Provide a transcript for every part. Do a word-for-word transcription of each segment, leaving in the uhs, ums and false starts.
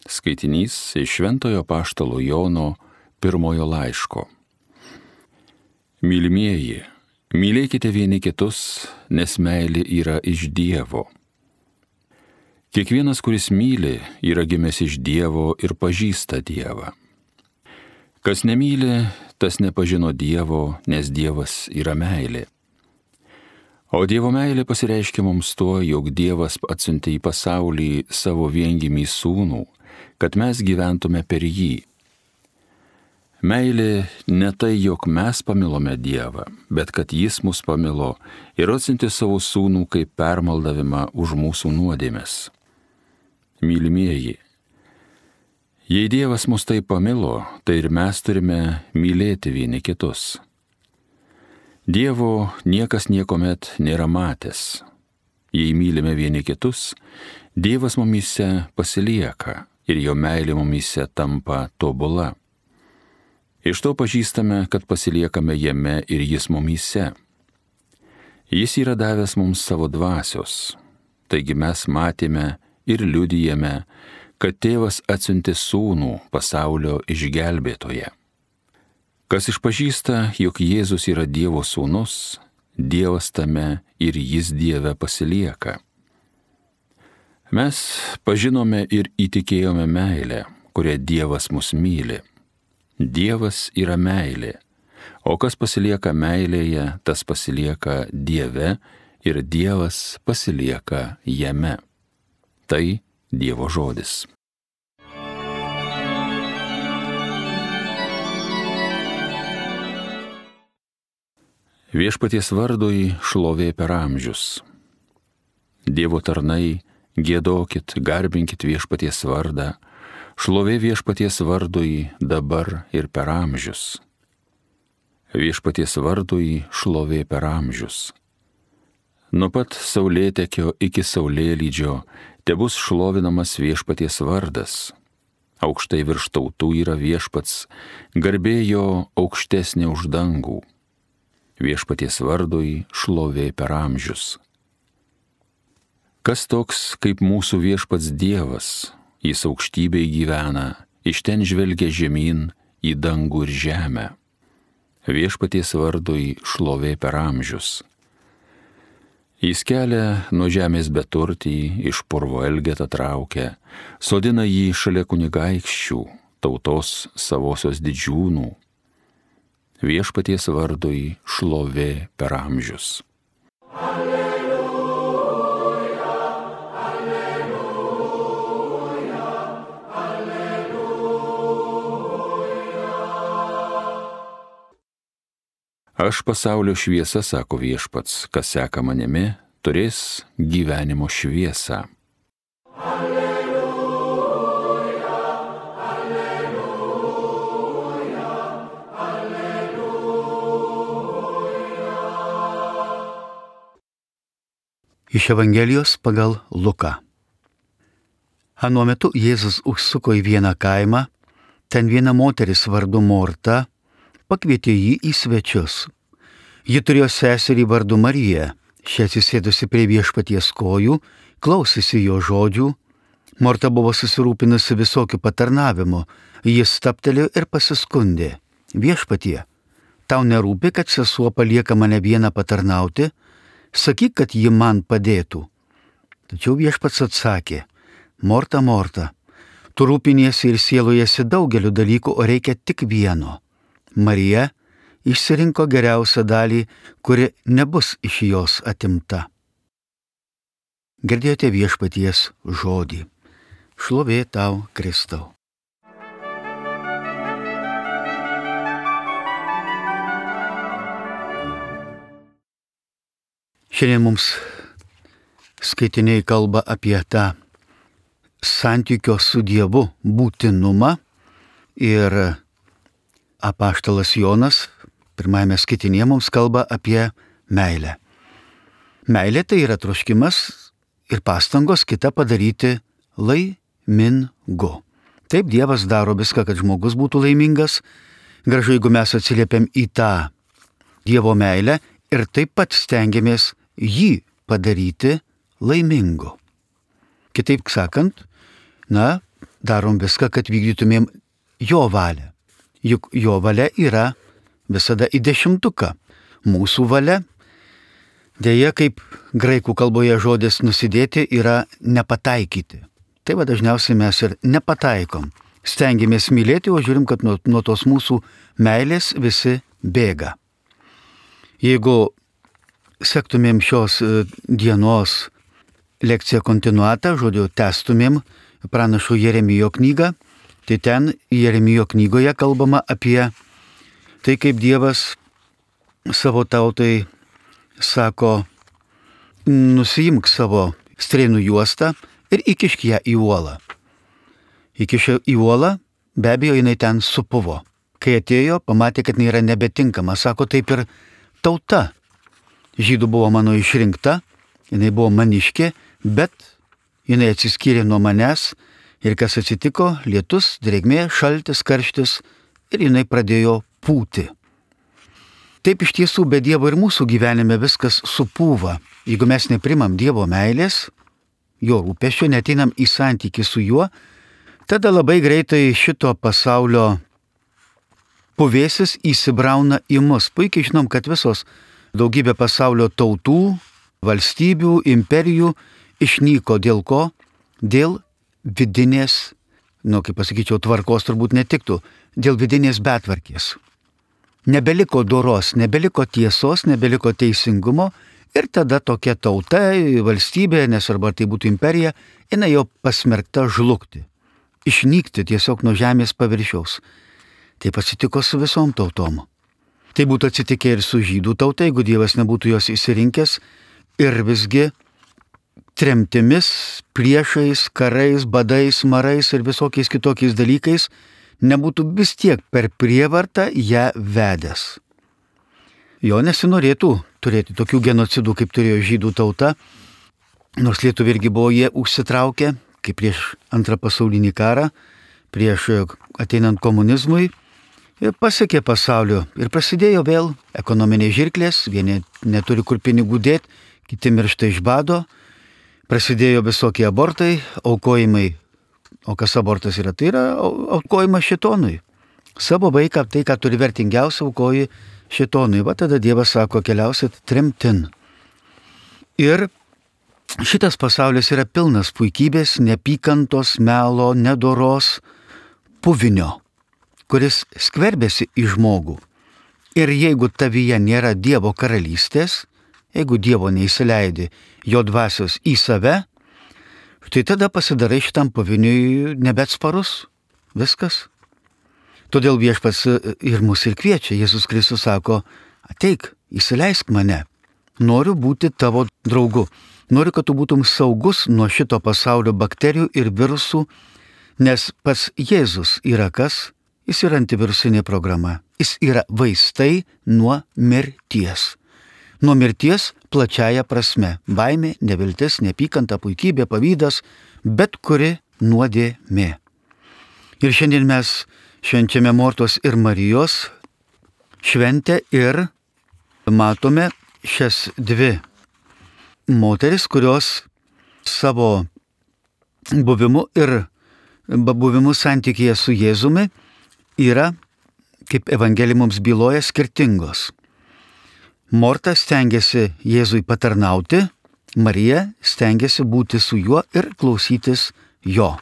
Skaitinys iš Šventojo Apaštalo Jono pirmojo laiško. Mylimieji, mylėkite vieni kitus, nes meilė yra iš Dievo. Kiekvienas, kuris myli, yra gimęs iš Dievo ir pažįsta Dievą. Kas nemyli, tas nepažino Dievo, nes Dievas yra meilė. O Dievo meilė pasireiškia mums tuo, jog Dievas atsiuntė į pasaulį savo viengimį sūnų, kad mes gyventume per jį. Meilė ne tai, jog mes pamilome Dievą, bet kad Jis mus pamilo ir atsiuntė savo sūnų kaip permaldavimą už mūsų nuodėmes. Mylimieji, jei Dievas mus taip pamilo, tai ir mes turime mylėti vieni kitus. Dievo niekas niekuomet nėra matęs. Jei mylime vieni kitus, Dievas mumyse pasilieka ir jo meilė mumyse tampa tobula. Iš to pažįstame, kad pasiliekame jame ir jis mumyse. Jis yra davęs mums savo dvasios, taigi mes matėme ir liudijame, kad tėvas atsiuntė sūnų pasaulio išgelbėtoje. Kas išpažįsta, jog Jėzus yra Dievo sūnus, Dievas tame ir jis Dieve pasilieka. Mes pažinome ir įtikėjome meilę, kurią Dievas mus myli. Dievas yra meilė, o kas pasilieka meilėje, tas pasilieka Dieve ir Dievas pasilieka jame. Tai Dievo žodis. Viešpaties vardui šlovė per amžius. Dievo tarnai, giedokit, garbinkit viešpaties vardą, šlovė viešpaties vardui dabar ir per amžius. Viešpaties vardui šlovė per amžius. Nuo pat saulėtekio iki saulėlydžio tebus šlovinamas viešpaties vardas. Aukštai virš tautų yra viešpats, garbė jo aukštesnė už dangų. Viešpaties vardui šlovė per amžius. Kas toks kaip mūsų viešpats Dievas, jis aukštybėj gyvena, iš ten žvelgia žemyn į dangų ir žemę. Viešpaties vardui šlovė per amžius. Jis kelia nuo žemės beturtį, iš purvo elgetą traukia, sodina jį šalia kunigaikščių, tautos savosios didžiūnų. Viešpaties vardui šlovė per amžius. Alleluja, alleluja, alleluja. Aš pasaulio šviesa, sako viešpats, kas seka manimi, turės gyvenimo šviesą. Iš Evangelijos pagal Luką. Anuo metu Jėzus užsuko į vieną kaimą, ten viena moteris vardu Morta pakvietė jį į svečius. Ji turėjo seserį vardu Mariją, ši atsisėdusi prie viešpaties kojų, klausėsi jo žodžių. Morta buvo susirūpinusi visokių patarnavimų, jis stabtelėjo ir pasiskundė: Viešpatie, tau nerūpi, kad sesuo palieka mane vieną patarnauti? Sakyk, kad ji man padėtų. Tačiau viešpats atsakė: Morta, Morta, tu rūpiniesi ir sielojasi daugeliu dalykų, o reikia tik vieno. Marija išsirinko geriausią dalį, kuri nebus iš jos atimta. Girdėjote viešpaties žodį. Šlovė tau, Kristau. Šiandien mums skaitiniai kalba apie tą santykio su Dievu būtinumą ir apaštalas Jonas pirmajame skaitinėje mums kalba apie meilę. Meilė tai yra troškimas ir pastangos kitą padaryti laimingu. Taip Dievas daro viską, kad žmogus būtų laimingas. Gražu, jeigu mes atsiliepiam į tą Dievo meilę ir taip pat stengiamės jį padaryti laimingu. Kitaip sakant, na, darom viską, kad vykdytumėm jo valią. Juk jo valia yra visada į dešimtuką. Mūsų valia, dėja, kaip graikų kalboje žodis nusidėti, yra nepataikyti. Tai va dažniausiai mes ir nepataikom. Stengiamės mylėti, o žiūrim, kad nuo, nuo tos mūsų meilės visi bėga. Jeigu sektumėm šios dienos lekciją kontinuatą, žodžiu, testumėm pranašo Jeremijo knygą, tai ten Jeremijo knygoje kalbama apie tai, kaip Dievas savo tautai sako, nusiimk savo strėnų juostą ir įkišk ją į uolą. Įkišė į uolą, be abejo, jinai ten supuvo. Kai atėjo, pamatė, kad jinai yra nebetinkama. Sako, taip ir tauta. Žydų buvo mano išrinkta, jinai buvo maniškė, bet jinai atsiskyrė nuo manęs ir kas atsitiko, lietus, drėgmė, šaltis, karštis ir jinai pradėjo pūti. Taip iš tiesų be Dievo ir mūsų gyvenime viskas supūva. Jeigu mes neprimam Dievo meilės, jo rūpesčio, neteinam į santykį su juo, tada labai greitai šito pasaulio puvėsis įsibrauna į mus. Puikiai žinom, kad visos daugybė pasaulio tautų, valstybių, imperijų išnyko dėl ko? Dėl vidinės, nu, kaip pasakyčiau, tvarkos turbūt netiktų, dėl vidinės betvarkės. Nebeliko doros, nebeliko tiesos, nebeliko teisingumo ir tada tokia tauta, valstybė, nesvarbu ar tai būtų imperija, jinai jau pasmerkta žlugti, išnykti tiesiog nuo žemės paviršiaus. Taip atsitiko su visom tautom. Tai būtų atsitikę ir su žydų tauta, jeigu Dievas nebūtų jos įsirinkęs ir visgi tremtimis, priešais, karais, badais, marais ir visokiais kitokiais dalykais nebūtų vis tiek per prievartą ją vedęs. Jo nesinorėtų turėti tokių genocidų, kaip turėjo žydų tauta, nors lietuviai irgi buvo jie užsitraukę, kaip prieš antrą pasaulinį karą, prieš ateinant komunizmui, ir pasiekė pasaulio ir prasidėjo vėl ekonominiai žirklės, vieni neturi kur pinigų dėti, kiti miršta iš bado, prasidėjo visokie abortai, aukojimai. O kas abortas yra? Tai yra aukojimas šėtonui. Savo vaiką, tai ką turi vertingiausia, aukoji šėtonui. Va tada Dievas sako, keliausit tremtin. Ir šitas pasaulis yra pilnas puikybės, nepykantos, melo, nedoros, puvinio, kuris skverbėsi į žmogų. Ir jeigu tavyje nėra Dievo karalystės, jeigu Dievo neįsileidi jo dvasios į save, tai tada pasidarai šitam puviniui nebeatsparus. Viskas. Todėl Viešpats ir mus ir kviečia. Jėzus Kristus sako, ateik, įsileisk mane. Noriu būti tavo draugu. Noriu, kad tu būtum saugus nuo šito pasaulio bakterijų ir virusų, nes pats Jėzus yra kas? Jis yra antivirusinė programa. Jis yra vaistai nuo mirties. Nuo mirties plačiaja prasme. Baimė, neviltis, nepykanta, puikybė, pavydas, bet kuri nuodėmė. Ir šiandien mes švenčiame Mortos ir Marijos šventę ir matome šias dvi moteris, kurios savo buvimu ir buvimu santykyje su Jėzumi yra, kaip Evangelija mums byloja, skirtingos. Morta stengiasi Jėzui patarnauti, Marija stengiasi būti su juo ir klausytis jo.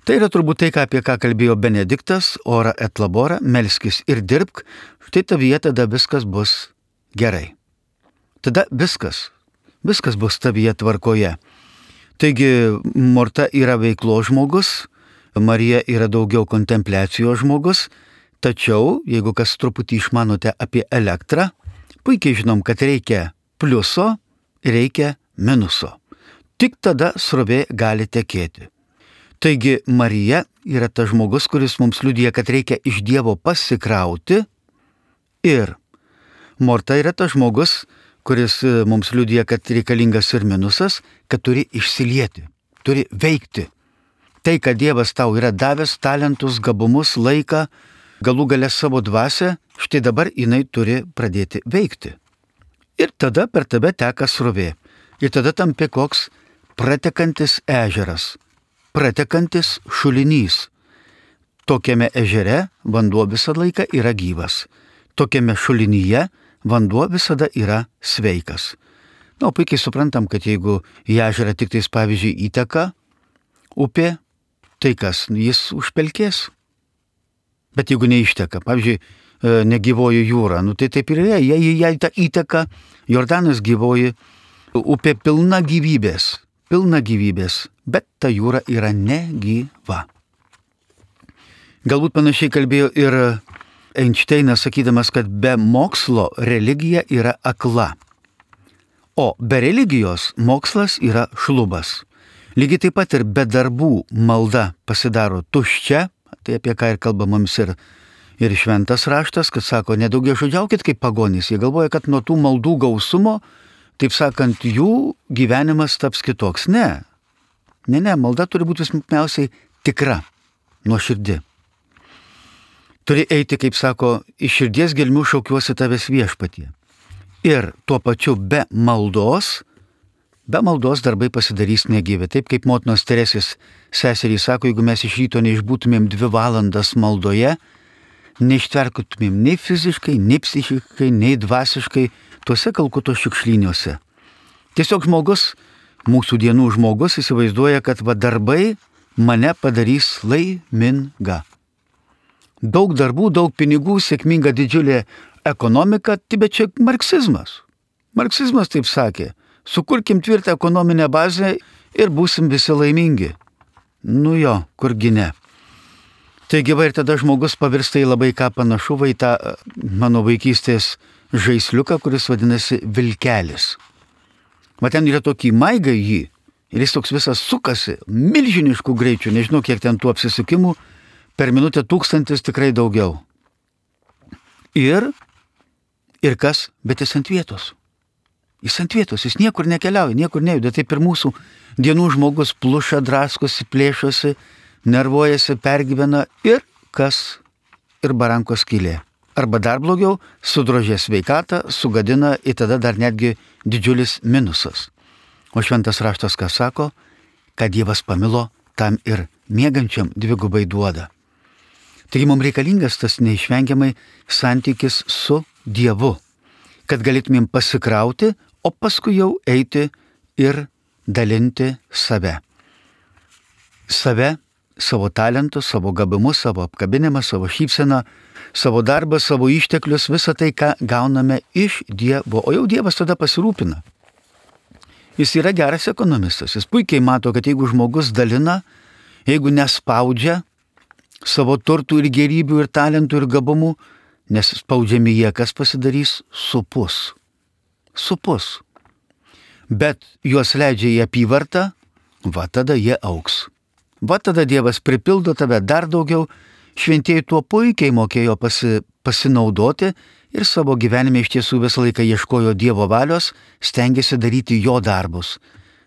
Tai yra turbūt tai, apie ką kalbėjo Benediktas, ora et labora, melskis ir dirbk, štai tavyje tada viskas bus gerai. Tada viskas, viskas bus tavyje tvarkoje. Taigi Morta yra veiklo žmogus, Marija yra daugiau kontempliacijos žmogus, tačiau, jeigu kas truputį išmanote apie elektrą, puikiai žinom, kad reikia pliuso, reikia minuso. Tik tada srovė gali tekėti. Taigi Marija yra tas žmogus, kuris mums liudija, kad reikia iš Dievo pasikrauti, ir Morta yra tas žmogus, kuris mums liudija, kad reikalingas ir minusas, kad turi išsilieti, turi veikti. Tai, kad Dievas tau yra davęs talentus, gabumus, laiką, galų gale savo dvasią, štai dabar jinai turi pradėti veikti. Ir tada per tave teka srovė. Ir tada tampi koks pratekantis ežeras. pratekantis šulinys. Tokiame ežere vanduo visą laiką yra gyvas. Tokiame šulinyje vanduo visada yra sveikas. Na, puikiai suprantam, kad jeigu į ežerą tik tais, pavyzdžiui, įteka upė, tai kas, jis užpelkės. Bet jeigu neišteka, pavyzdžiui, negyvoji jūra, nu tai taip ir yra, jei jai ta įteka, Jordanas gyvoji, upė pilna gyvybės, pilna gyvybės, bet ta jūra yra negyva. Galbūt panašiai kalbėjo ir Einšteinas, sakydamas, kad be mokslo religija yra akla, o be religijos mokslas yra šlubas. Lygiai taip pat ir be darbų malda pasidaro tuščia, tai apie ką ir kalba mums ir, ir šventas raštas, kad sako, nedaugia žodžiaukit kaip pagonys. Jie galvoja, kad nuo tų maldų gausumo, taip sakant, jų gyvenimas taps kitoks. Ne, ne, ne, malda turi būti pirmiausiai tikra, nuoširdi. Turi eiti, kaip sako, iš širdies gelmių šaukiuosi tavęs viešpatie. Ir tuo pačiu be maldos, be maldos darbai pasidarys negyvi. Taip kaip motinos Teresės seserys sako, jeigu mes iš ryto neišbūtumėm dvi valandas maldoje, neištverkutumėm nei fiziškai, nei psichiškai, nei dvasiškai tuose Kalkuto šiukšlyniuose. Tiesiog žmogus, mūsų dienų žmogus įsivaizduoja, kad va darbai mane padarys laimingą. Daug darbų, daug pinigų, sėkminga didžiulė ekonomika, tai bet čia marksizmas. Marksizmas taip sakė. Sukurkim tvirtą ekonominę bazę ir būsim visi laimingi. Nu jo, kurgi ne. Taigi va ir tada žmogus pavirsta į labai ką panašu į tą mano vaikystės žaisliuką, kuris vadinasi vilkelis. Va ten yra tokį maigą jį ir jis toks visas sukasi milžiniškų greičių, nežinau kiek ten tų apsisukimų, per minutę tūkstantis tikrai daugiau. Ir, ir kas, bet jis ant vietos. Jis ant vietos, jis niekur nekeliauja, niekur nejuda. Taip ir mūsų dienų žmogus pluša, draskosi, plėšosi, nervuojasi, pergyvena ir kas? Ir barankos skylė. Arba dar blogiau, sudrožė sveikatą, sugadina ir tada dar netgi didžiulis minusas. O šventas raštas ką sako? Kad Dievas pamilo, tam ir miegančiam dvigubai duoda. Taigi mums reikalingas tas neišvengiamai santykis su Dievu, kad galėtumėm pasikrauti, o paskui jau eiti ir dalinti save. Save, savo talentus, savo gabumus, savo apkabinimą, savo šypseną, savo darbą, savo išteklius, visą tai, ką gauname iš Dievo. O jau Dievas tada pasirūpina. Jis yra geras ekonomistas. Jis puikiai mato, kad jeigu žmogus dalina, jeigu nespaudžia savo turtų ir gerybių ir talentų ir gabumų, nes spaudžiami jie, kas pasidarys? Supus. Supus. Bet juos leidžia į apyvartą, va tada jie augs. Va tada Dievas pripildo tave dar daugiau, šventieji tuo puikiai mokėjo pasi, pasinaudoti ir savo gyvenime iš tiesų visą laiką ieškojo Dievo valios, stengiasi daryti jo darbus.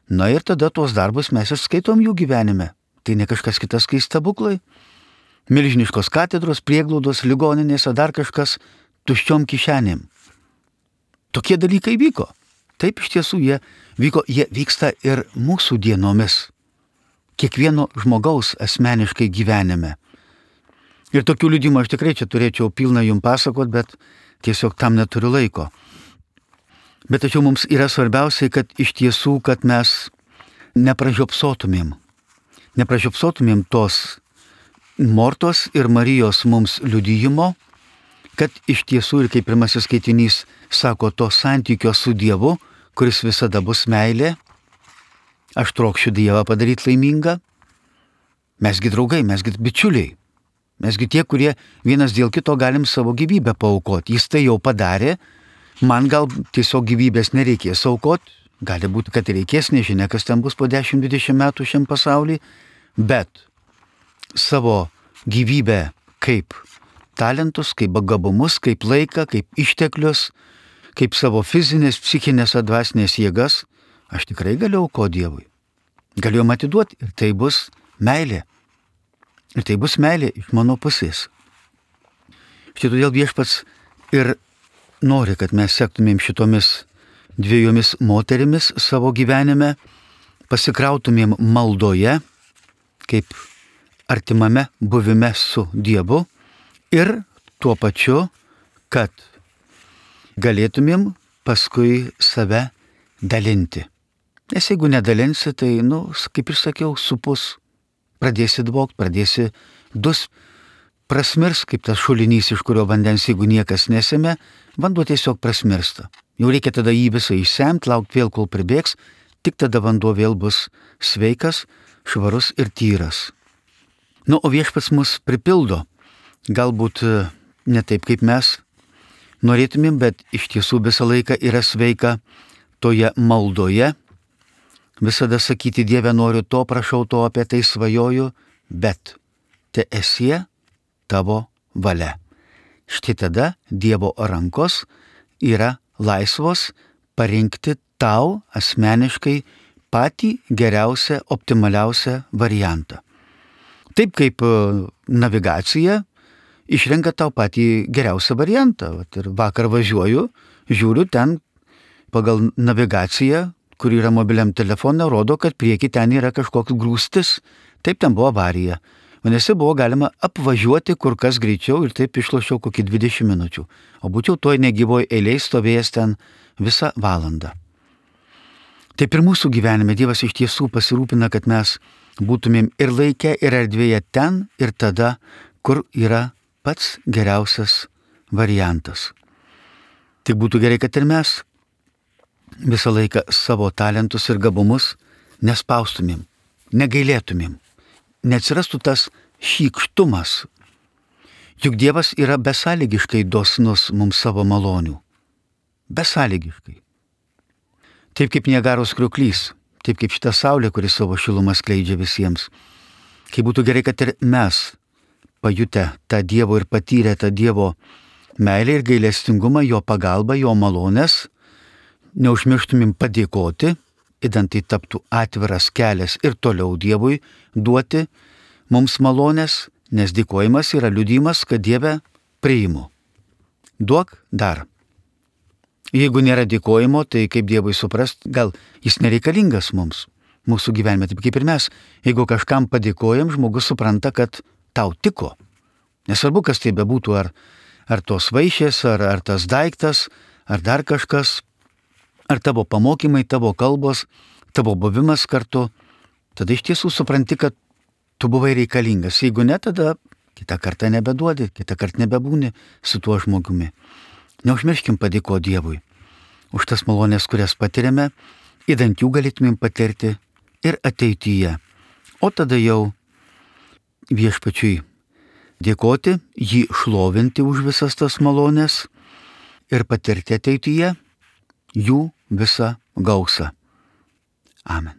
Na ir tada tuos darbus mes ir skaitom jų gyvenime. Tai ne kažkas kitas, kai stebuklai. Milžiniškos katedros, prieglaudos, ligoninėse, dar kažkas tuščiom kišenėm. Tokie dalykai vyko. Taip iš tiesų jie vyko, jie vyksta ir mūsų dienomis. Kiekvieno žmogaus asmeniškai gyvenime. Ir tokių liudimų aš tikrai čia turėčiau pilną jums pasakot, bet tiesiog tam neturiu laiko. Bet tačiau mums yra svarbiausiai, kad iš tiesų, kad mes nepražiopsotumėm. Nepražiopsotumėm tos Mortos ir Marijos mums liudijimo, kad iš tiesų ir kaip pirmasis skaitinys sako to santykio su Dievu, kuris visada bus meilė. Aš trokšiu Dievą padaryti laimingą. Mesgi draugai, mesgi bičiuliai. Mesgi tie, kurie vienas dėl kito galim savo gyvybę paaukoti. Jis tai jau padarė. Man gal tiesiog gyvybės nereikės aukoti. Gali būti, kad reikės, nežinia, kas ten bus po dešimt dvidešimt metų šiam pasaulyje. Bet savo gyvybę kaip talentus, kaip gabumus, kaip laiką, kaip išteklius, kaip savo fizinės, psichinės ar dvasinės jėgas, aš tikrai galiu aukoti Dievui. Galiu jam atiduoti ir tai bus meilė. Ir tai bus meilė iš mano pusės. Štai todėl Viešpats ir nori, kad mes sektumėm šitomis dviejomis moterimis savo gyvenime, pasikrautumėm maldoje, kaip artimame buvime su Dievu ir tuo pačiu, kad galėtumėm paskui save dalinti. Nes jeigu nedalinsi, tai, nu, kaip ir sakiau, supus, pradėsi dvokt, pradėsi dus, prasmirs, kaip tas šulinys, iš kurio vandens, jeigu niekas nesėmė, vanduo tiesiog prasmirsta. Jau reikia tada jį visą išsemti, laukti vėl, kol pribėgs, tik tada vanduo vėl bus sveikas, švarus ir tyras. Nu, o viešpats mus pripildo, galbūt ne taip, kaip mes norėtumėm, bet iš tiesų visą laiką yra sveika toje maldoje, visada sakyti, Dieve, noriu to, prašau to, apie tai svajoju, bet te esie tavo valia. Štai tada Dievo rankos yra laisvos parinkti tau asmeniškai patį geriausią, optimaliausią variantą. Taip kaip navigacija išrenka tau patį geriausią variantą. Vat ir vakar važiuoju, žiūriu ten pagal navigaciją, kur yra mobiliam telefone, rodo, kad prieki ten yra kažkoks grūstis. Taip, ten buvo avarija. Vadinasi, buvo galima apvažiuoti kur kas greičiau ir taip išlošiau kokį dvidešimt minučių. O būčiau toj negyvoj eilėj stovėjęs ten visą valandą. Taip ir mūsų gyvenime Dievas iš tiesų pasirūpina, kad mes būtumėm ir laike, ir erdvėje ten ir tada, kur yra pats geriausias variantas. Tik būtų gerai, kad ir mes visą laiką savo talentus ir gabumus nespaustumėm, negailėtumėm, neatsirastų tas šykštumas. Juk Dievas yra besąlygiškai dosnus mums savo malonių. Besąlygiškai. Taip kaip Niagaros kriuklys, taip kaip šita saulė, kuri savo šilumą skleidžia visiems. Kai būtų gerai, kad ir mes, pajutę tą Dievo ir patyrę tą Dievo meilę ir gailestingumą, jo pagalbą, jo malonės, neužmirštumėm padėkoti, idant tai taptų atviras kelias ir toliau Dievui duoti mums malonės, nes dėkojimas yra liudijimas, kad Dieve priimu. Duok dar. Jeigu nėra dėkojimo, tai kaip Dievui suprast, gal jis nereikalingas mums, mūsų gyvenime, taip kaip ir mes. Jeigu kažkam padėkojam, žmogus supranta, kad tau tiko. Nesvarbu, kas tai bebūtų, ar, ar tos vaišės, ar, ar tas daiktas, ar dar kažkas, ar tavo pamokymai, tavo kalbos, tavo buvimas kartu, tada iš tiesų supranti, kad tu buvai reikalingas. Jeigu ne, tada kitą kartą nebeduodi, kitą kartą nebebūni su tuo žmogumi. Neužmirškim padėkoti Dievui už tas malonės, kurias patiriame, idant jų galėtumėm patirti ir ateityje. O tada jau viešpačiui dėkoti, jį šlovinti už visas tas malonės ir patirti ateityje jų visą gausą. Amen.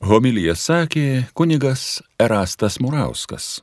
Homiliją sakė kunigas Erastas Murauskas.